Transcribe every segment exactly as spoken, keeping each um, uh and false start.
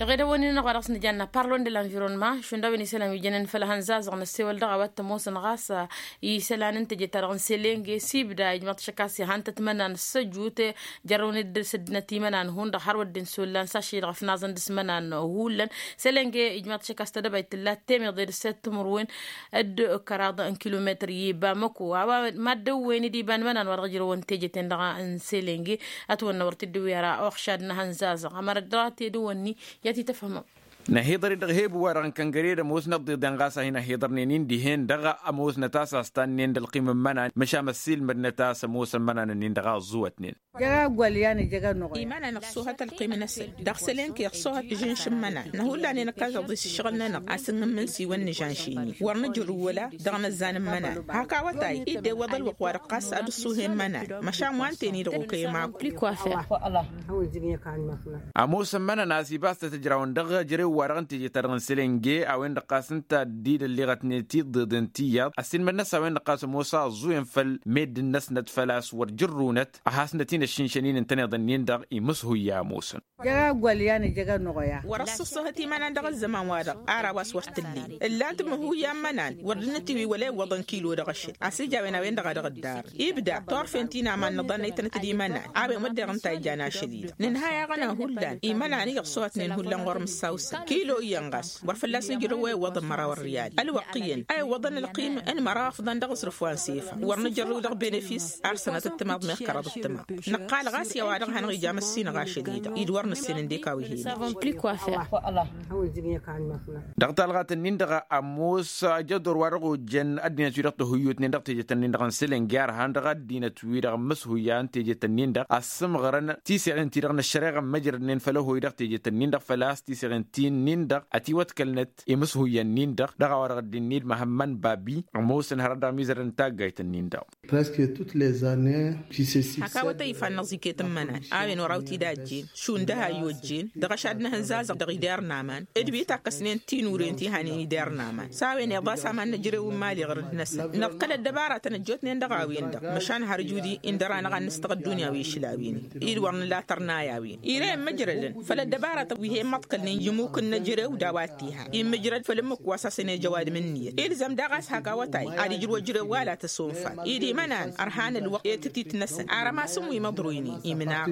Dăɣ-edăwănnin-năɣ wa dăɣ-s nǝjanna parlon de lanvironma šund a-wen isălan wi jănen făll-ihănzazăɣ n-ăssewăl dăɣ-a-wa t-ămoosăn ɣas isălan n-teje-ta-dăɣ n-selenge s-ibda ijmăḍ-t šăkk a-s ihăn-tăt imănan s-ăjut. Jărrăwăn-dd s-ăddinăt imănan hundăɣ har wădden s-ollan s-ašăl-i-dăɣ ăfnaẓăn dăɣ-s imănan. Hullan selenge ijmăḍ-t šăkk a-s tadăbayt tǝlla temmiḍe d-ǝsset timǝrwen d-kăraḍ n-kilometăr i-bamăko a-wa mad-dăwwen-dd iba n-imănan wa dăɣ-ǝjrăwăn teje-ten-dăɣ n-selenge. Ătwănna wăr t-dd-ǝwwi ara oxšad n-ehănzazăɣ ămăra dd-dăɣ-a tedăwănni i-ad-t-tǝfhǝmăm. Năhiḍăr-dd dăɣ-hebu-wa-dăɣ n-kăngăre d-ămoosnăt iḍeḍen ɣas a hin-ăhiḍărnen-in dihen-dăɣ. Ămoosnăt a-s a ăstannen d-ălqim n-imănan măšan ăssiilmădnăt a-s ămoosăn imănan-ǝnnin-dăɣ a ăẓẓuwătnen. Jăg aggwal i-ad-nǝjăg ănnuɣya. Imănan ǝṣṣuhăt ălqim-năsăn dăɣ-sălenke ǝṣṣuhăt žǝnš n-imănan năhulla-nen ǝkkaẓăḍ-i s-ǝššăɣǝl-nănăɣ a-s ǝnnǝmmǝn s-iwăn nǝžanš-in-i wăr nǝjrǝw wăla dăɣ-inăzzan n-imănan. Hak awătay-i dd-iwwăḍ ălwăqq wa-dăɣ ɣas ad-ǝṣṣuhen imănan. Măšan wa ǝnta-en-i-dăɣ okăyăm akul. Ămoosăn imănan a-s ibas-tăt ǝjrawăn dăɣ-ejărew-wa-dăɣ n-teje-ta-dăɣ n-selenge a-wen-dăɣ ɣas ǝnta a dd-idălliɣătnet iḍeḍen tiyyăḍ ăssiilmădnăt a-wen-dăɣ ɣas ămoos a ăẓẓuyăn făll-meddǝn-năsnăt făl-a-s wăr jărrunăt. Ad-hasnăt-in ăššinšăn-in ǝntăneḍ-ǝnnin-dăɣ imǝshuyya ămoosăn. Jăg aggwal i-ad-nǝjăg ănnuɣya. Wăr-ăṣṣăṣṣăhăt imănan dăɣ-ăzzăman-wa-dăɣ ar a-wa s-wăr t-ǝllen ǝllan-t imǝhuyya n-imănan wăr dd-nǝtǝwwi wăla iwwăḍăn kilo dăɣ-ašăl a-s ija a-wen a-wen-dăɣ a dăɣ-dd-arrǝn ibda turfen ti n-aman nǝḍannăytăn-t d-imănan. A-wen wădden ǝnta a ijan ašăl-i-dăɣ nǝnhăy-aɣ ănhăhullan imănan i-ăṣṣuhătnen ihullan ɣur-mǝssawsăn kilo iyyăn ɣas wăr fălla-s nǝjrǝw a iwwăḍăn măraw ărriyal. Ălwăqq iyyăn a iwwăḍăn ălqim n-măraw afḍăn dăɣ-aẓrǝf wa n-sefa wăr nǝjărrǝw dăɣ-benefis ar sănatăt timaḍ meɣ kăraḍăt timaḍ. Nǝqqal ɣas i-a-wa-dăɣ hanăɣ-ija măssinăɣ ašăl-i-dăɣ i-dd wăr nǝssen ǝndek a-wi hin-ija. Dăɣ-talɣat-ǝnnin-dăɣ ămoos ajăḍor wa dăɣ-ojjăn ăddinăt-wi-dăɣ tăhuyyutnen dăɣ-tejet-ǝnnin-dăɣ n-selănge ărhan dăɣ-ăddinăt-wi-dăɣ n-imǝshuyya n-tejet-ǝnnin-dăɣ ăssǝmɣărăn tiseɣen-ti-dăɣ n-ăššăreɣa n-măjrădnen făll-ăhoy dăɣ-tejet-ǝnnin-dăɣ făl-a-s tiseɣen-ti-nin-dăɣ ătiwătkălnăt imǝshuyya-nin-dăɣ dăɣ-a-wa dăɣ-dd-innă ilmăhămmăn babi. Ămoosăn hărăt dăɣ-mizărăn n-taggayt-ǝnnin-dăɣ. Presque toutes les années. Hak awătay ifannăẓ iket n-imănan a-wen oraw-t-dd a ăjjeen šund ăhayy ojjen dăɣ-ašad n-ehănzazăɣ dăɣ-idar n-aman d-wi takkăsnen tinuren ti hanen idar n-aman. S-a-wen iḍas aman n-ejărew n-imali ɣǝrǝd-năsăn năḍkăl ăddăbaratăn ăjjootnen dăɣ-a-wen-dăɣ măšan har ǝjud-i ǝndăr-anăɣ ad-nǝstăɣ ăddunya wi išla win-i. Id-wăr nǝla tărnay a-wen ire-en măjrădăn făll-ăddăbaratăn wi he-immăḍkălnen i-imuk n-ejărew d-a-wa t-iha immǝjrăd făll-ǝmmǝk wa s-hasăn-ej ăwadǝm n-iyyăt ilzăm daɣ a-s hak awătay ad-ijrǝw ejărew wa la tăsonfal. Id imănan ărhan ălwăqq i-tătit-năsăn arămasăn wi măḍroynen imnaɣ.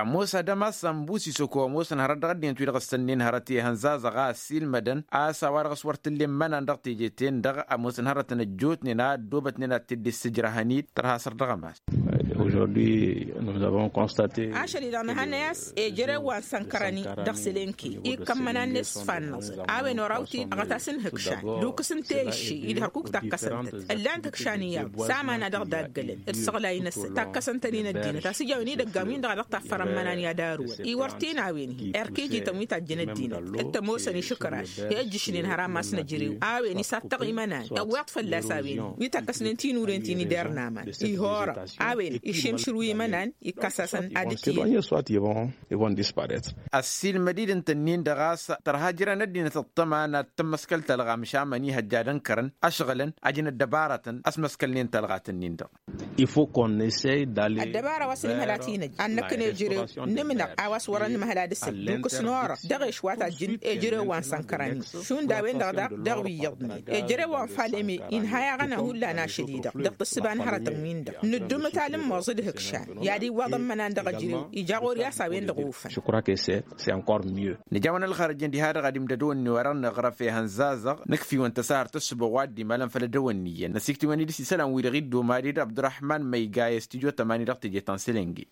Ămoos adăm a-s ănbus isăko ămoosăn hărăt dăɣ-ăddinăt wi-dăɣ ǝssănnen hărăt i-ihănza zăɣa ăssiilmădăn a-s a-wa-dăɣ s-wăr t-ǝllen imănan dăɣ-teje-ten-dăɣ ămoosăn hărătăn ăjjootnen a ăddoobătnen ad-t-dd-issǝjrăhăn-dd tărha săr dăɣ-ămas. Ašăl-i-dăɣ nǝhannăy a-s ejărew wa n-sănkărăn-i dăɣ-sălenke ikkăn imănan-net s-fannăẓăn a-wen oraw-t-dd ăɣăt-as n-ihǝkšan d-ukǝs n-teyǝšše-i d-hărkuk takkăsăn-tăt ǝllan-t ihǝkšan iyyăḍ s-aman a dăɣ-daggălăn d-isăɣlay-năsăn takkăsăn-tăn-in ăddinăt a-s ijawăn idăggan-win-dăɣ a dăɣ-taffărăn imănan i-ad-arǝwăn iwăr t-in a-wen-hi erk ijităn wi tajjăn ăddinăt d-tămoosăn išǝkraš i-ăjjǝšnen har amas n-ejărew a-wen isattăɣ imănan iwweḍ fălla-s a-wen-hi wi takkăsnen tinuren ti n-ider n-aman ihorăɣ a-wen išimšǝrǝw imănan ikkas-asăn ad-ǝtǝyăn. Ăssiilmăd-dd ǝnta-nin-dăɣ a-s tărha jărăn ăddinăt ăṭṭăma n-ad-tǝmmăskăl talɣa măšan mănihăjja ad-ǝnkărăn ăšɣǝlăn ajăn ăddăbarătăn ăsmăskălnen talɣat-nin-dăɣ. Ăddăbara wa s-nǝmhăl ad-t-inăjj ad-năkk n-ejărew nǝmnăɣ a-wa s-wărăn nǝmhăl ad-ǝsǝl d-ukǝs n-orăɣ dăɣ-ešwa tajjǝn ejărew wa n-sănkărăn-i šund a-wen-dăɣ daɣ dăɣ-wi iyyăḍnen ejărew wa n-faleme inha i-aɣăna hullan ašăl-i-dăɣ dăɣ-tǝssǝba n-hărătăn-win-dăɣ nǝddumǝt alǝmmoẓ d-ihǝkšan i-ad-iwwaḍ ămmănan dăɣ-ejărew ija ɣur-i a-s a-wen-dăɣ ofăn. Nǝjawăn ălxărăjăn diha-dăɣ ad-imdădăwănni wa dăɣ-nǝɣrăf i-ihănzazăɣ nǝkf'-iwăn tăsahărt ăssǝboɣ wa dd-imalăn făll-edăwănniyăn năsikt'-iwăn-dd s-isălan-wi-dăɣ iddoma d-dd abdurăhman măyga i-studyo tămani dăɣ-teje ta n-selenge.